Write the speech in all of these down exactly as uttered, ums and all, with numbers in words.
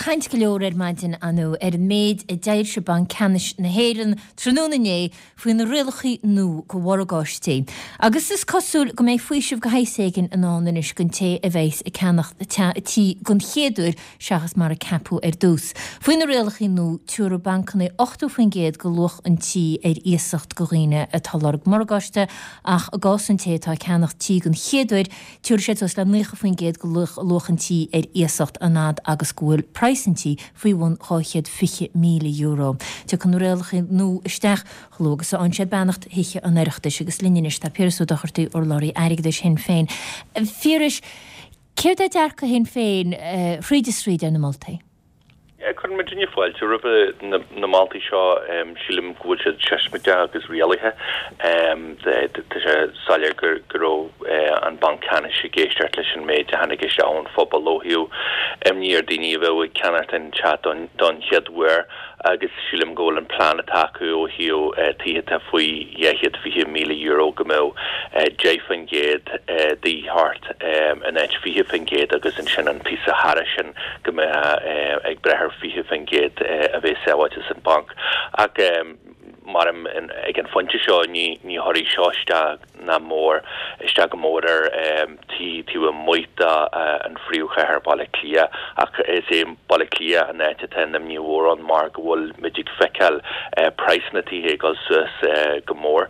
caint go leor ar maidin inniu ar an méid a d'fhoilsigh Banc Ceannais na hÉireann tráthnóna inné faoi na rialacha nua do mhorgáistí. Agus is cosúil go mbeidh faoiseamh de shaghas éigin i ndán anois don té a bheas ag ceannacht tí den chéad uair seachas mar a ceapadh ar dtús. Faoi na rialacha nua tabharfaidh bancanna ochtó faoin gcéad de luach an tí ar iasacht do dhaoine atá ag lorg morgáiste ach i gcás an té atá ag ceannacht tí den chéad uair tabharfaidh siad suas le naocha faoin gcéad de luach an tí ar iasacht an fhad agus go bhfuil praghas an tí faoi bhun dhá chéad fiche míle euro. Tiocfaidh na rialacha nua isteach chomh luath agus a fhaigheann siad beannacht Thithe an Oireachtais agus linn anois tá Piaras Ó Dochartaigh, urlabhraí airgeadais Shinn Féin. Phiarais, céard é dearcadh Shinn Féin thríd is thríd ar na moltaí? Cuireann muidinne fáilte roimh na moltaí seo. Sílim go bhfuil siad seismideach agus rialaithe. Tá sé soiléir go raibh an Banc Ceannais ag éisteacht leis an méid a tháinig isteach ón phobal ó thaobh imní ar daoine a bheadh ag ceannacht an teach don chéad uair agus sílim go bhfuil an plean atá acu ó thaobh tithe atá faoi dhá chéad fiche míle euro go mbeadh deich faoin gcéad de thart in áit fiche faoin gcéad agus ansin an píosa thairis sin go mbeadh ag breith ar fiche faoin gcéad a bheith sábháilte san banc. Ach mar ag an phointe seo ní ní chuirfidh seo isteach ná mór isteach go mór ar tí taobh amuigh de an phríomhchathair Baile Átha Cliath ach is é Baile Átha Cliath an áit atá an imní mhór ann mar go bhfuil muid ag feiceáil praghsanna tithe ag dul suas go mór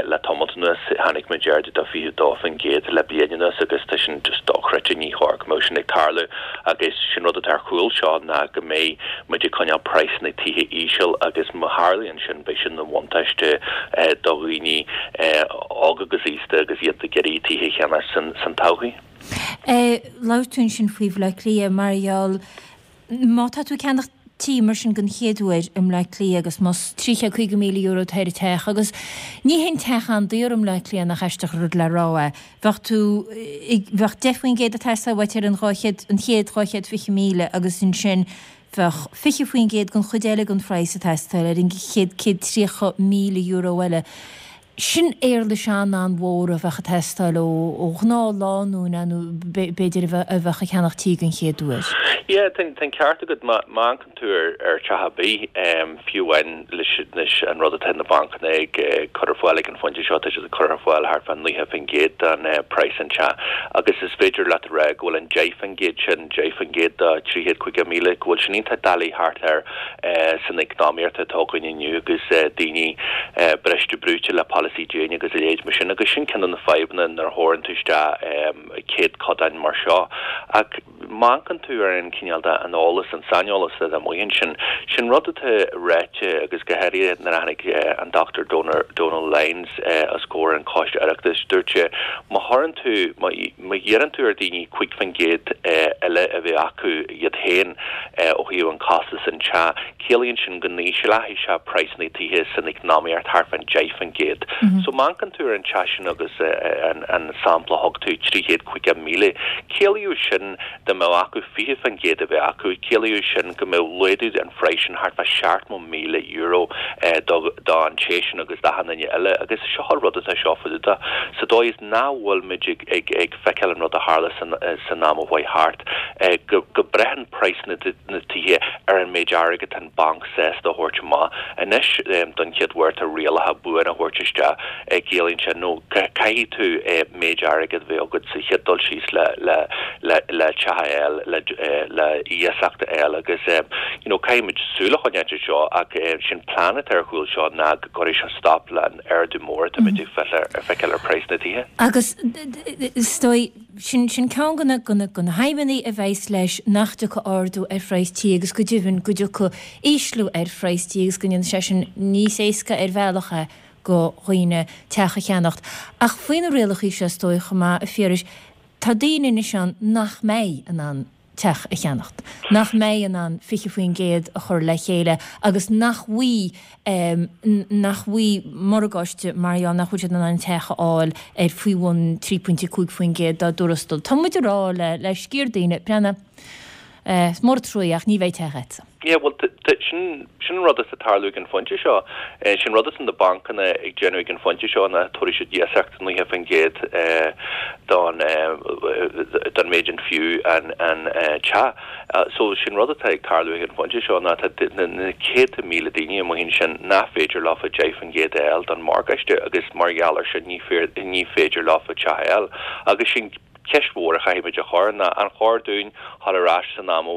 le tamall anuas. Tháinig muid ardú de fiche dó faoin gcéad le bliain anuas agus tá sin just dochreidte ní chóir go mbeadh sin ag tarlú agus sin rud atá ar chúl seo ná go mbeidh muid ag coinneáil praghsanna tithe íseal agus má tharlaíonn sin beidh sin ina bhuntáiste do dhaoine óga agus aosta agus iad ag iarraidh tithe a cheannach san san todhchaí. Labhair tú ansin faoi Bhaile Átha Cliath mar gheall má tá tú ag ceannach tí mar sin den chéad uair i mBleá Cliath agus más trí chéad caoga míle euro atá ar an teach agus ní haon teach an-daor i mBleá Cliath nach aisteach an rud le rá é. Bheadh tú bheadh deich faoin gcéad ag teastáil uait ar an dhá chéad an chéad dhá chéad fiche míle agus ansin bheadh fiche faoin gcéad den chuid eile den phraghas ag teastáil ar an chéad céad tríocha míle euro eile. Sin éarlais an-an-mhór a bheadh ag teastáil ó ó ghnáth-lánúin nó b'fhéidir a bheadh a bheadh ag ceannach tí den chéad uair. Yeah, tá an ceart agat má má amharcann tú ar ar teach ar bith fiú amháin leis leis an rud atá na bancanna ag cur ar fáil ag an phointe seo tá siad ag cur ar fáil thart fá naocha faoin gcéad den praghas an teach agus is féidir leat a rá go bhfuil an deich faoin gcéad sin deich faoin gcéad de trí chéad caoga míle go bhfuil sin iontach doiligh thart air san eacnamaíocht atá againn inniu agus daoine briste brúite le polasaí déine agus a leithéid mar sin agus sin ceann de na fadhbanna nuair a thabharann tú isteach céadchodáin mar seo. Ach má amharcann tú ar an cineál de an eolas an saineolas atá amuigh ansin, sin rud atá ráite agus go háirithe nuair a tháinig an Dr Donal Lyons os comhair an Choiste Oireachtais, dúirt sé má chuireann tú má iarrann tú ar daoine cúig faoin gcéad eile a bheith acu iad féin ó thaobh an costas an teach, ciallaíonn sin go n-ísleoidh sé praghsanna tithe san eacnamaíocht thart fán deich faoin gcéad. So má amharcann tú ar an teach sin agus an an sampla a thug tú trí chéad caoga míle, ciallaíodh sin dá mbeadh acu fiche faoin gcéad a bheith acu, ciallaíodh sin go mbeadh laghdú an phraghas sin thart fá seachtó míle euro do do an té sin agus d'achan duine eile agus seo an rud atá seo faoi deara sa dóigh is nach bhfuil muid ag ag ag feiceáil an rud a tharla san san am a chuaigh thart go go braitheann praghas na tithe ar an méid airgid atá an banc sásta a thabhairt amach. Anois don chéad uair tá rialacha buan a thabhairt isteach ciallaíonn sé nó caithfidh tú méid airgid a bheith agat sa chéad dul síos le le le le teach a fháil le le iasacht a fháil agus you know caithfidh muid súil a choinneáil air seo ach sin plean atá ar chúl seo ná go gcuirfidh seo stop le an ardú mór atá muid ag feiceáil ar praghas na tithe. Agus is dóigh sin sin ceann de na de na de na haidhmeanna a bheas leis nach dtiocfaidh ardú ar phraghas tí agus go deimhin go dtiocfaidh ísliú ar phraghas tí agus go ndéanfaidh sé sin níos éasca ar bhealach é do dhaoine teach a cheannacht. Ach faoi na rialacha seo is dóigh chomh maith a Phiarais, tá daoine anois ann nach mbeidh in ann teach a cheannacht, nach mbeidh in ann fiche faoin gcéad a chur le chéile agus nach bhfaighidh nach bhfaighidh morgáiste mar gheall nach bhfuil siad in ann teach a fháil ar faoi bhun trí pointe cúig faoin gcéad dá dtuarastal. Tá muid ag rá le le sciar daoine, breathnaigh, is mór an trua ach ní bheidh teach agatsa. Yeah, well Sin sin an rud atá ag tarlú ag an phointe seo. Sin rud atá na bancanna ag déanamh ag an phointe seo ná tabharfaidh siad iasacht naocha faoin gcéad don don méid an fiú an an teach. So sin rud atá ag tarlú ag an phointe seo ná tá na céadta míle daoine amuigh ansin nach féidir leofa deich faoin gcéad a fháil don morgáiste agus mar gheall air sin ní ní féidir leofa teach a fháil. Agus sin ceist mhór a chaithfimid a chur ná an chóir dúinn dhul ar ais san am a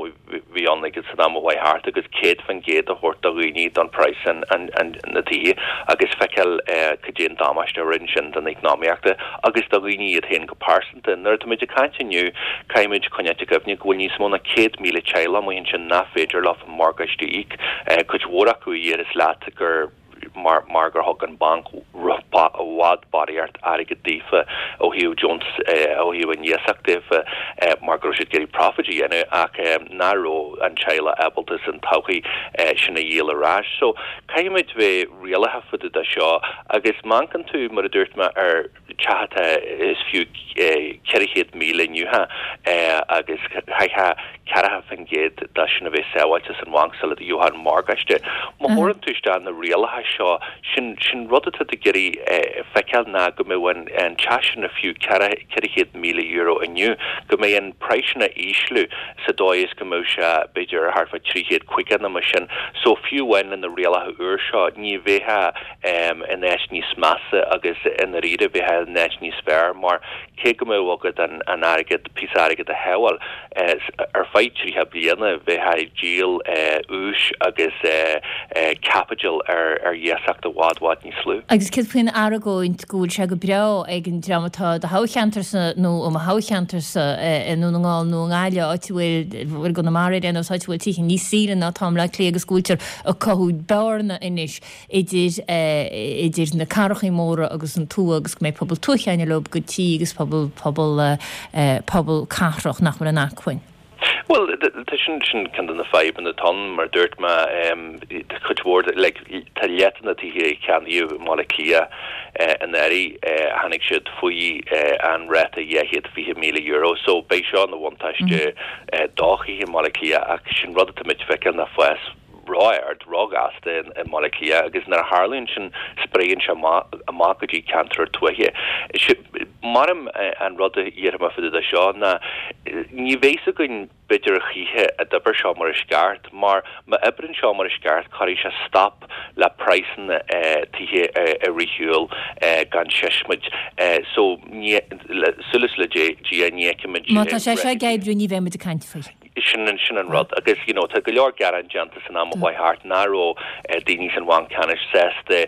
bhí ann agus san am a chuaigh thart agus céad faoin gcéad a thabhairt do dhaoine don praghas an, an, an, na tithe agus feiceáil eh, cad é an damáiste a rinne sin don eacnamaíocht agus do dhaoine iad féin go pearsanta. Nuair atáimid ag caint inniu caithfimid coinneáil i gcuimhne go bhfuil níos mó ná céad míle teaghlach amuigh ansin nach féidir leo an morgáiste a íoc eh, cuid mhór acu a dhéarfas leat gur mar mar gur thug an banc i bhfad barraíocht airgead daofa ó thaobh deontas ó thaobh an iasacht daofa mar go raibh siad ag iarraidh profit a dhéanamh ach nach raibh an teaghlach ábalta san todhchaí sin a dhíol ar ais. So caithfimid bheith rialaithe fá dtaobh de seo agus má amharcann tú mar a dúirt mé ar teach atá is fiú ceithre chéad míle inniu agus chaithfeá ceathracha faoin gcéad de sin a bheith sábháilte san bhanc sula gheofá an morgáiste. Má chuireann tú isteach na rialacha seo sin sin rud atá ag iarraidh feiceáil ná go mbeidh an an teach sin a fiú ceithre chéad míle euro inniu, go mbeidh an praghas sin a ísliú sa dóigh is go mbeidh sé b'fhéidir thart fá trí chéad caoga nó mar sin. So fiú amháin le na rialacha úr seo ní bheifeá in áit níos measa agus i ndáiríre bheifeá in áit níos fearr mar cé go mbeadh agat an an airgead píosa airgead a shábháil ar feadh tríocha bliana bheifeá ag díol úis agus caipitil ar ar iasacht i bhfad bhfad níos lú. Agus céard faoin argóint go bhfuil sé go breá ag an dream atá do thoghcheantarsa nó i mo thoghcheantarsa i nDún na nGall nó i nGaillimh áit a bhfuil bhfuil Conamara ar nós áit a bhfuil tithe níos saoire ná atá i mBleá Cliath agus go bhfuiltear ag cothú bearna anois idir idir na cathrachaí móra agus an tuath agus go mbeidh pobal tuaithe ag leo go tí agus pobal pobal pobal cathrach nach bhfuil an acmhainn. Well tá sin sin ceann de na fadhbanna atá ann mar dúirt mé cuid mhór like tá leath de na tithe a ceannaíodh i mBaile Átha Cliath anuraidh tháinig siad faoi an ráta dhá chéad fiche míle euro so beidh seo ina bhuntáiste do thithe i mBaile Átha Cliath ach sin rud atá muid ag feiceáil ná fás ró-ard róghasta i mBaile Átha Cliath agus nuair a tharlaíonn sin spréann sé amach go dtí ceantar tuaithe. Mar an rud a dhéarfaidh mé fá dtaobh de seo ná ní bheidh a fhios againn b'fhéidir a choíche an d'oibir seo mar is ceart mar má oibríonn seo mar is ceart cuirfidh sé stop le praghsanna tithe a rith shiúl gan seismid so ní súil le Dia ní fheicfimid Má tá sé seo ag oibriú ní bheidh muid ag caint faoi. Sin sin an rud agus you know tá go leor gearán déanta san am a chuaigh thart nach raibh daoine san bhanc ceannais sásta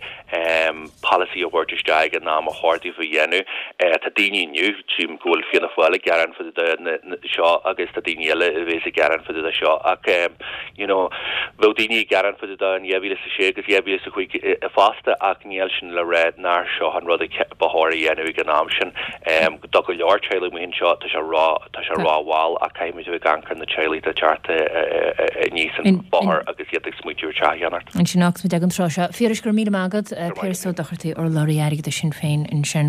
polasaí a thabhairt isteach ag an am a chóir dóibh a dhéanamh. Tá daoine inniu tchím go bhfuil Fianna Fáil ag gearán fá dtaobh de seo agus tá daoine eile a bheas ag gearán fá dtaobh de seo ach you know bheadh daoine ag gearán fá dtaobh de in dhá mhíle is a sé agus dhá mhíle is a cúig fosta ach níl sin le rá nár seo an rud ba chóir a dhéanamh ag an am sin. Do go leor teaghlaigh amuigh anseo tá sé ró tá sé rómhall ach caithfimid a bheith ag amharc ar na teaghlaigh atá ag teacht aníos an bóthar agus iad ag smaointiú ar teach a cheannacht. Ansin agus muid ag an tráth seo. Phiarais, go raibh míle maith agat. Piaras Ó Dochartaigh, urlabhraí airgeadais Shinn Féin ansin.